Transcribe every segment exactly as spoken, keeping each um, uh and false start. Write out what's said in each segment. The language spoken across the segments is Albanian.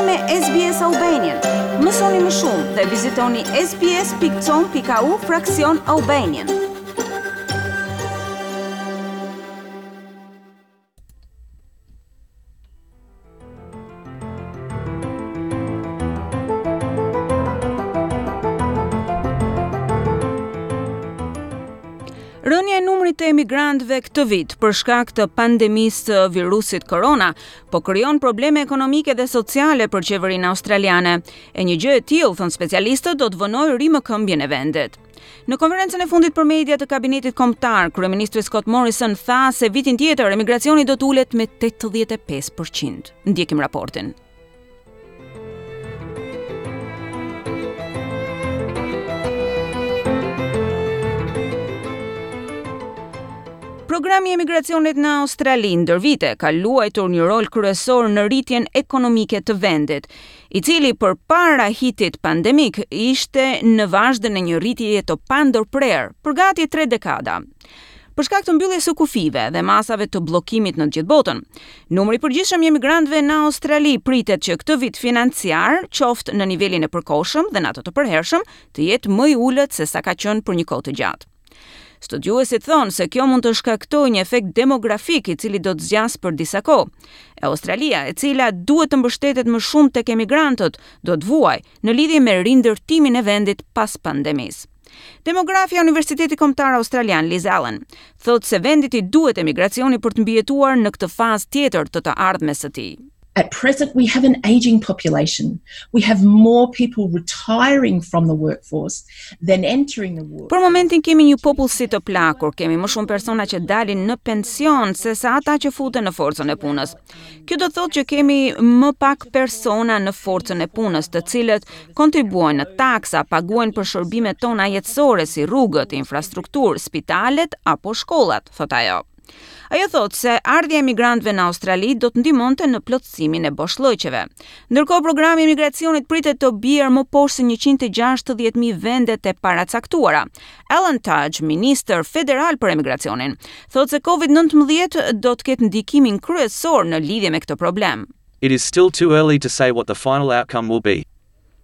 me S B S Albanian. Mësoni më shumë dhe vizitoni S B S pikë com pikë A U fraksion Albanian. Rënia e numrit të emigrantëve këtë vit për shkak të pandemisë së virusit korona po krijon probleme ekonomike dhe sociale për qeverinë australiane. E një gjë e tillë, thon specialistët, do të vonojë rimëkëmbjen e vendit. Në konferencën e fundit për media të kabinetit kombëtar, kryeministri Scott Morrison tha se vitin tjetër emigracioni do të ulet me tetëdhjetë e pesë për qind. Ndjekim raportin. Programi i emigracionit në Australi ndër vite ka luajtur një rol kryesor në rritjen ekonomike të vendit, i cili përpara hitit pandemik ishte në vazhdën e një rritjeje të pandërprerë për gati tre dekada. Për shkak të mbylljes së kufijve dhe masave të bllokimit në të gjithë botën, numri i përgjithshëm i emigrantëve në Australi pritet që këtë vit financiar, qoftë në nivelin e përkohshëm dhe në atë të përhershëm, të jetë më i ulët se sa ka qenë për një kohë të gjatë. Studiuesit thonë se kjo mund të shkaktojë një efekt demografik i cili do të zgjasë për disa kohë. E Australia, e cila duhet të mbështetet më shumë tek emigrantët, do të vuajë në lidhje me rindërtimin e vendit pas pandemisë. Demografia e Universitetit Kombëtar Australian Liz Allen thotë se vendit i duhet emigracioni për të mbijetuar në këtë fazë tjetër të të ardhmes së tij. At present, we have an aging population. We have more people retiring from the workforce than entering the workforce. Për momentin kemi një popullsi të plakur, kemi më shumë persona që dalin në pension se sa ata që futen në forcën e punës. Kjo do të thotë që kemi më pak persona në forcën e punës, të cilët kontribuojnë në taksa, paguajnë për shërbimet tona jetësore si rrugët, infrastrukturë, spitalet apo shkollat, thot ajo. Ajo thotë se ardhja e emigrantëve në Australi do të ndihmonte në plotësimin e boshllëqeve. Ndërkohë, programi i emigracionit pritet të bjerë më poshtë se njëqind e gjashtëdhjetë mijë vendet e paracaktuara. Alan Tudge, ministër federal për emigracionin, thotë se COVID nëntëmbëdhjetë do të ketë ndikimin kryesor në lidhje me këtë problem. It is still too early to say what the final outcome will be.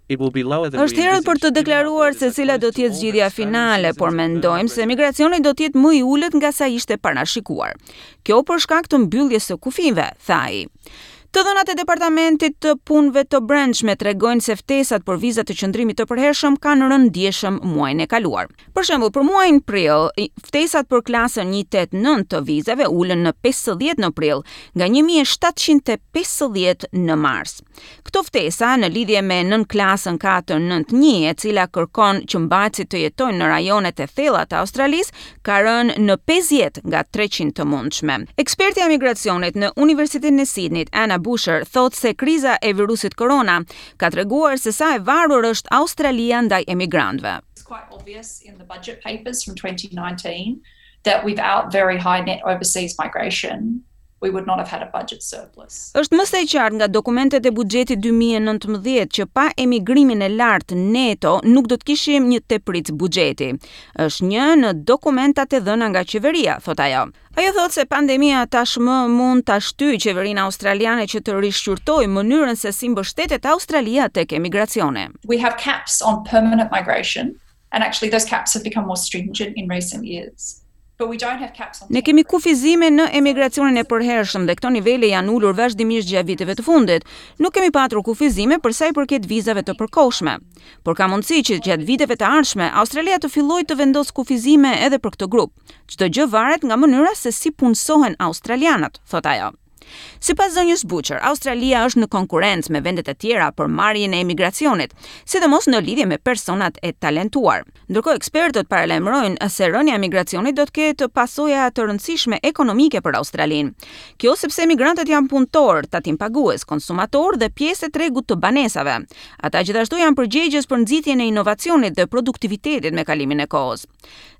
It will be lower than Është herët për të deklaruar se cila do të jetë zgjidhja finale, por mendojmë se migracioni do të jetë më i ulët nga sa ishte parashikuar. Kjo për shkak të mbylljes së kufijve, tha ai. Të dhënat e Departamentit të Punëve të Brendshme tregojnë se ftesat për viza të qëndrimit të përhershëm kanë rënë ndjeshëm muajin e kaluar. Për shembull, për muajin prill, ftesat për klasën njëqind e tetëdhjetë e nëntë të vizave ulën në pesëdhjetë në prill, nga një mijë e shtatëqind e pesëdhjetë në mars. Këto ftesa në lidhje me nën klasën katër nëntë një, e cila kërkon që mbajtësit të jetojnë në rajonet e thella të Australisë, ka rënë në pesëdhjetë nga treqind të mundshme. Eksperti i migracionit në Universitetin e Sydneyt, Anna Boucher, thotë se kriza e virusit korona ka treguar se sa e varur është Australia ndaj emigrantëve. It's quite obvious in the budget papers from twenty nineteen that without very high net overseas migration, we would not have had a budget surplus. Është më se e qartë nga dokumentet e buxhetit dy mijë e nëntëmbëdhjetë që pa emigrimin e lartë neto nuk do të kishim një tepricë buxheti. Është një në dokumentat e dhëna nga qeveria, thot ajo. Ajo thotë se pandemia tashmë mund ta shtyjë qeverinë australiane që të rishqyrtojë mënyrën se si mbështetet Australia tek emigracioni. We have caps on permanent migration, and actually those caps have become more stringent in recent years. But we don't have caps on Ne kemi kufizime në emigracionin e përhershëm dhe këto nivele janë ulur vazhdimisht gjatë viteve të fundit. Nuk kemi patur kufizime për sa i përket vizave të përkohshme. Por ka mundësi që gjatë viteve të ardhshme Australia të fillojë të vendosë kufizime edhe për këtë grup. Çdo gjë varet nga mënyra se si punësohen australianët, thot ajo. Sipas zonjës Boucher, Australia është në konkurrencë me vendet e tjera për marrjen e emigracionit, sidomos në lidhje me personat e talentuar. Ndërkohë, ekspertët paralajmërojnë se rënia e emigracionit do të ketë pasoja të rëndësishme ekonomike për Australinë. Kjo sepse emigrantët janë punëtorë, tatimpagues, konsumatorë dhe pjesë e tregut të banesave. Ata gjithashtu janë përgjegjës për nxitjen e inovacionit dhe produktivitetit me kalimin e kohës.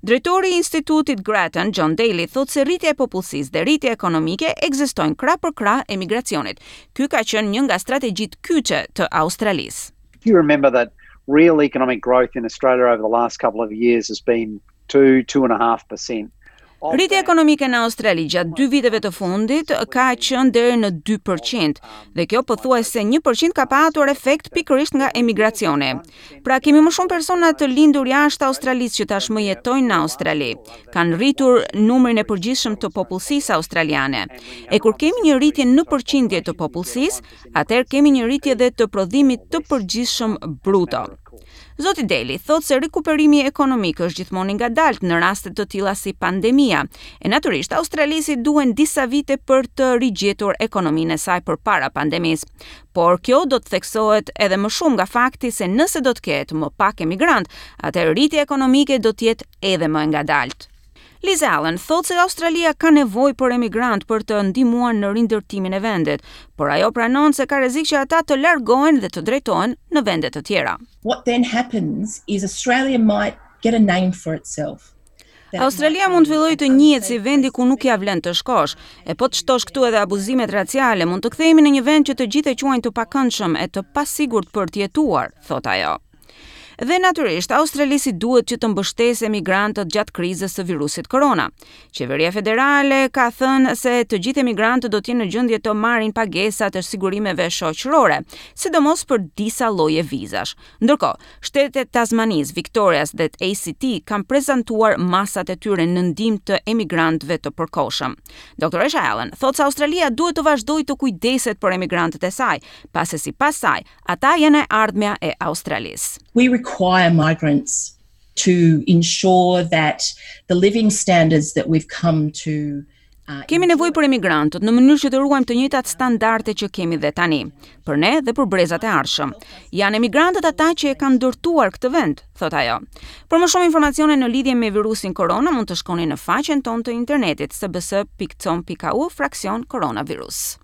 Drejtori i Institutit Grattan, John Daly, thotë se rritja e popullsisë dhe rritja ekonomike ekzistojnë krah për krah emigracionit. Ky ka qenë një nga strategjitë kyçe të Australisë. If you remember that real economic growth in Australia over the last couple of years has been two, two and a half percent. Rritja ekonomike në Australi gjatë dy viteve të fundit ka qenë deri në dy për qind dhe kjo pothuajse një për qind ka patur efekt pikërisht nga emigracioni. Pra, kemi më shumë persona të lindur jashtë Australisë që tashmë jetojnë në Australi. Kanë rritur numrin e përgjithshëm të popullsisë australiane. E kur kemi një rritje në përqindje të popullsisë, atëherë kemi një rritje edhe të prodhimit të përgjithshëm bruto. Zoti Daly thotë se rikuperimi ekonomik është gjithmonë i ngadaltë në raste të tilla si pandemia. E natyrisht, Australisë i duhen disa vite për të rigjetur ekonominë e saj përpara pandemisë. Por kjo do të theksohet edhe më shumë nga fakti se nëse do të ketë më pak emigrant, atëherë rritja ekonomike do të jetë edhe më e ngadaltë. Liz Allen thotë se Australia ka nevojë për emigrant për të ndihmuar në rindërtimin e vendit, por ajo pranon se ka rrezik që ata të largohen dhe të drejtohen në vende të tjera. What then happens is Australia might get a name for itself. Australia mund të fillojë të njihet si vendi ku nuk ja vlen të shkosh. E po të shtosh këtu edhe abuzimet raciale, mund të kthehemi në një vend që të gjithë e quajnë të pakëndshëm e të pasigurt për të jetuar, thot ajo. Dhe natyrisht, Australisë i duhet që të mbështesë emigrantët gjatë krizës së virusit korona. Qeveria federale ka thënë se të gjithë emigrantët do të jenë në gjendje të marrin pagesat e sigurimeve shoqërore, sidomos për disa lloje vizash. Ndërkohë, shtetet e Tasmanisë, Victorias dhe A C T kanë prezantuar masat e tyre në ndihmë të emigrantëve të përkohshëm. Doktoresha Allen thotë se Australia duhet të vazhdojë të kujdeset për emigrantët e saj, pasi sipas saj, ata janë e ardhmja e Australisë. We require migrants to ensure that the living standards that we've come to uh, Kemi nevojë për emigrantët në mënyrë që të ruajmë të njëjtat standarde që kemi dhe tani, për ne dhe për brezat e ardhshëm. Janë emigrantët ata që e kanë ndërtuar këtë vend, thot ajo. Për më shumë informacione në lidhje me virusin korona, mund të shkoni në faqen tonë të internetit S B S pikë com pikë A U fraksion koronavirus.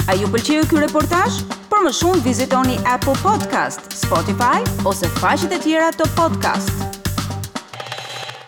A ju pëlqeu ky reportazh? Për më shumë vizitoni Apple Podcast, Spotify ose faqet e tjera të podcast.